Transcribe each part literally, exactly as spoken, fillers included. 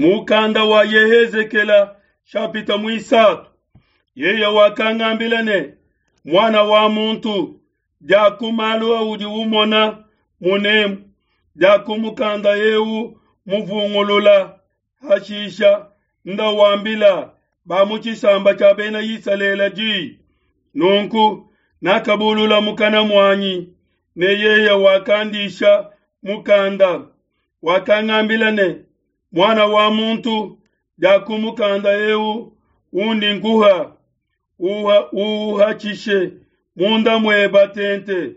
Mukanda wa Yehezekela shapita muisatu. Yeye wakangambila ne, muana wa muntu, diaku malu audi umona munemu, diaku mukanda eu muvungulula, hashisha nda wambila ba mu tshisamba tshia bena Isalele di. Nunku nakabulula mukana muanyi, ne yeye wakandisha mukanda. Wakangambila ne, muana wa muntu, diaku mukanda eu undi nkuha, uhatshishe munda mueba tente.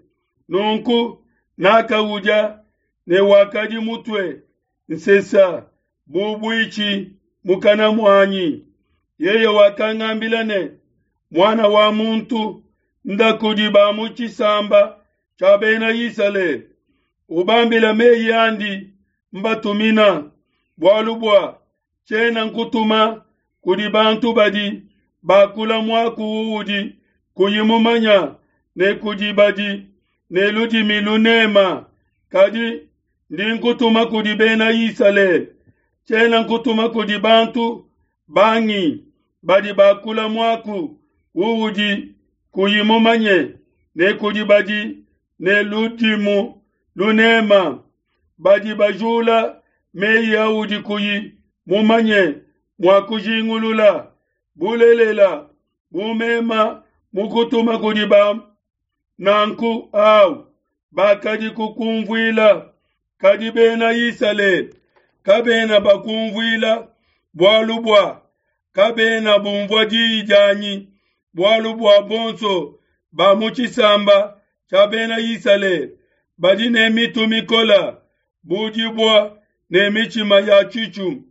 Nunku nakaudia, ne wakadi mutue nsesa bu buitshi mukana muanyi. Yeye wakangambila ne, muana wa muntu, nda kudi ba mu tshisamba tshia bena Isalele, ubambila meyi andi mbatumina, bualu bua tshiena nkutuma kudi bantu badi bakula muaku uudi kuyi mumanya, ne kudi badi ne ludimi lunema, kadi ndi nkutuma kudi bena Isalele. Tshiena nkutuma kudi bantu bangi badi bakula muaku uudi kuyi mumanye, ne kudi badi ne ludimu lunema, badi bajula meyi audi kuyi mumanye mua kujingulula. Bulelela, bumema mukutuma kudi ba nanku au bakadi kukumvuila, kadi bena Isalele kabena bakumvuila, bualu bua kabena bumvua diyi dianyi, bualu bua bonso ba mu tshisamba tshia bena Isalele badi ne mitu mikola, budibua ne mitshima ya tshitshu.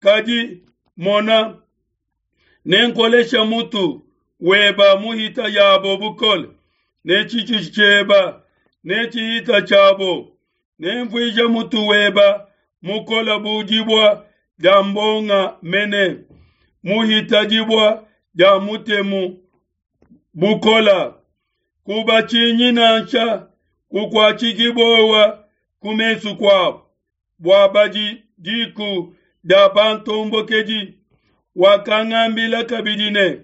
Kadi mona, nenkolesha mutu weba muhita yabo bukole, ne tshitshu tshieba ne tshihita tshiabo, nemvuije mutu weba mukola budibua dia mbonga mene, muhita dibua dia mutemu bukola. Kubatshinyi nansha kukuatshiki bowa ku mesu kuabo, bua badi diku dia bantombokedi. Wakangambila kabidi ne,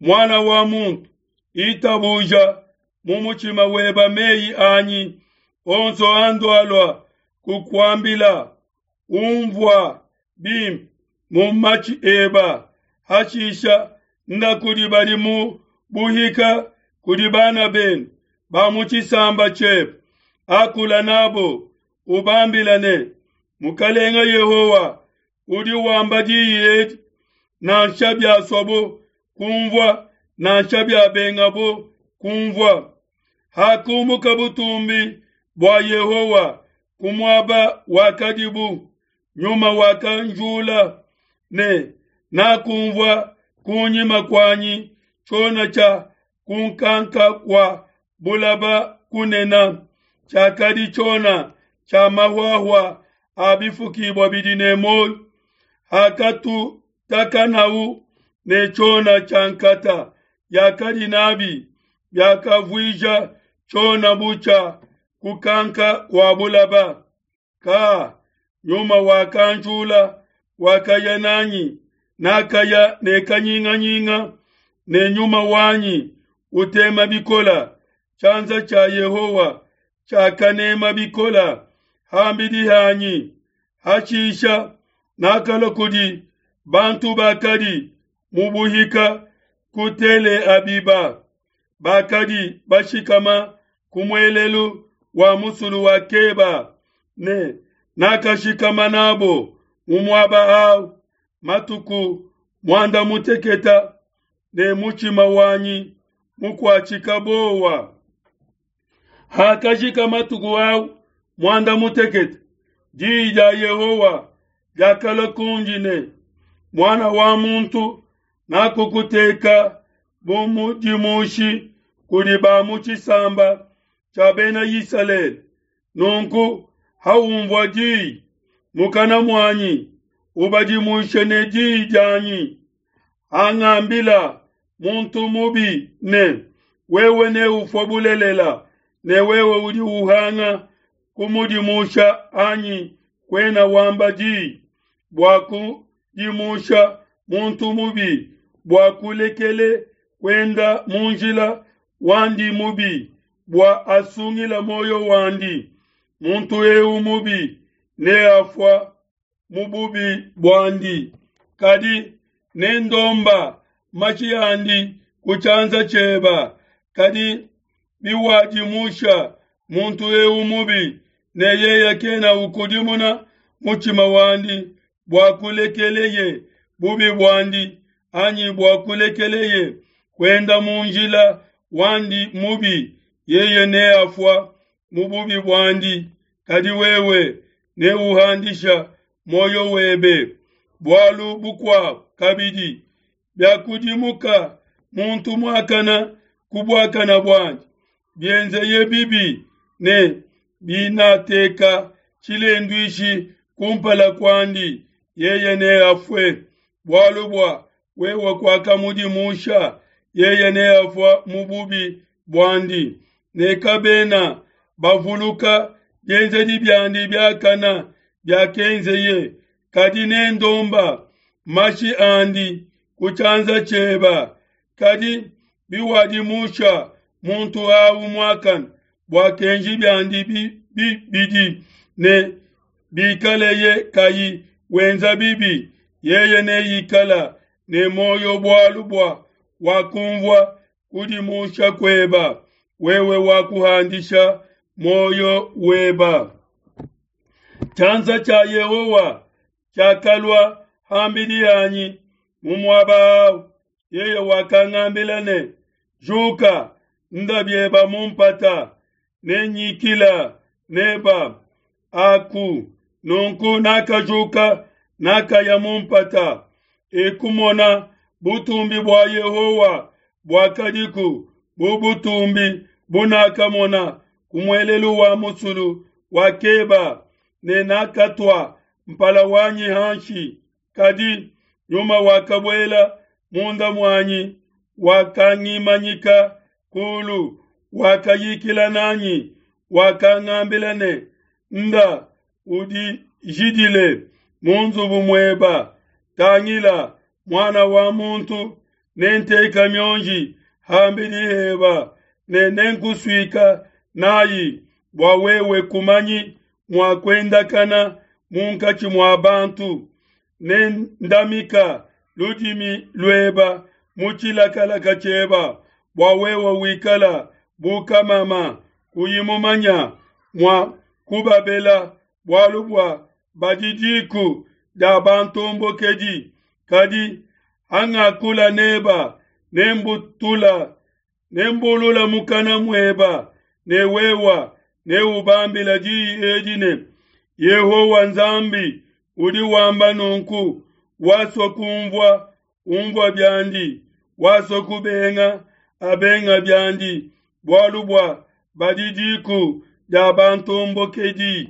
muana wa muntu, itabuja mu mutshima weba meyi anyi onso andualua kukuambila, umvua bimpe mu matshi eba. Hashisha nda kudi badi mu buhika, kudi bana benu ba mu tshisamba tshiebe, akula nabo, ubambila ne, Mukalenga Yehowa udi wamba diyi edi, nansha biaswabo kumvua, nansha biabengabo kumvua. Hakumuka butumbi bua Yehowa ku muaba wakadibu, nyuma wakanjula ne nakumvua kunyima kuanyi tshiona tshia kunkanka kua bulaba kunena, tshiakadi tshiona tshia mahuahua a bifukibua bidi ne muoyo. Hakatutakanau ne tshiona tshia nkata yakadi nabi, biakavuija tshiona bu tshia kukanka kua bulaba. Ka nyuma wakanjula, wakaya nanyi, nakaya ne kanyinganyinga, ne nyuma wanyi utema bikola. Tshianza tshia Yehowa tshiakanema bikola hambidi hanyi. Hashisha nakala kudi bantu bakadi mu buhika ku Tele Abiba, bakadi bashikama ku muelelu wa musulu wa Keba, ne nakashikama nabo mu muaba au matuku muanda muteketa, ne mutshima wanyi mukuatshika bowa. Hakajika matuku au muanda muteketa, diyi dia Yehowa diakalua kundi ne, muana wa muntu, nakukuteka bu mudimushi kudi ba mu tshisamba tshia bena Isalele. Nunku haumvua diyi mukana muanyi, ubadimushe ne diyi dianyi. Hangambila muntu mubi ne, wewe neufue bulelela, ne wewe udi uhanga kumudimusha anyi kuena wamba diyi, bua kudimusha muntu mubi bua kulekele kuenda mu njila wandi mubi, bua asungila muoyo wandi. Muntu eu mubi neafua mu bubi buandi, kadi nendomba mashi andi ku tshianza tshieba. Kadi biwadimusha muntu eu mubi, ne yeye kena ukudimuna mutshima wandi bua kulekeleye bubi buandi, anyi bua kulekeleye kuenda mu njila wandi mubi, yeye neafua mu bubi buandi, kadi wewe neuhandisha muoyo webe. Bualu bukuabo kabidi, biakudimuka muntu muakana ku buakana buandi, bienzeye bibi, ne binateka tshilenduishi kumpala kuandi, yeye neafue, bualu bua wewe kuakamudimusha, yeye neafua mu bubi buandi, ne kabena bavuluka bienzedi biandi biakana biakenzeye, kadi nendomba mashi andi ku tshianza tshieba. Kadi biwadimusha muntu awu muakane bua kenji biandi bibidi, ne bikaleye kayi wenza bibi, yeye neikala ne muoyo bualu bua wakumvua kudimusha kueba, wewe wakuhandisha muoyo weba. Tshianza tshia Yehowa tshiakalua ham'bidi hanyi mu muaba au. Yeye wakangambila ne, Juka, nda bieba mu mpata, nenyikila neba aku. Nunku nakajuka, nakaya mu mpata, ekumona butumbi bua Yehowa buakadiku bu butumbi bunakamona ku muelelu wa musulu wa Keba, ne nakatua mpala wanyi hanshi. Kadi nyuma wakabuela munda muanyi, wakangimanyika kulu, wakayikila nanyi, wakangambila ne, Nda udijidile mu nzubu mueba. Tangila, muana wa muntu, nenteka mionji ham'bidi heba, ne nenkusuika nayi, bua wewe kumanyi mua kuendakana munkatshi mua bantu. Nendamika ludimi lueba mu tshilakalaka tshieba, bua wewe wikala bu kamama, kuyi mumanya mua kubabela, bualu bua badi diku dia bantombokedi. Kadi hangakula neba, nembutula nembulula mukana mueba, ne wewa neubambila diyi edi ne, Yehowa Nzambi udi wamba nunku, wasua kumvua, umvua biandi, wasua kubenga, abenga biandi, bualu bua badi diku dia bantombokedi.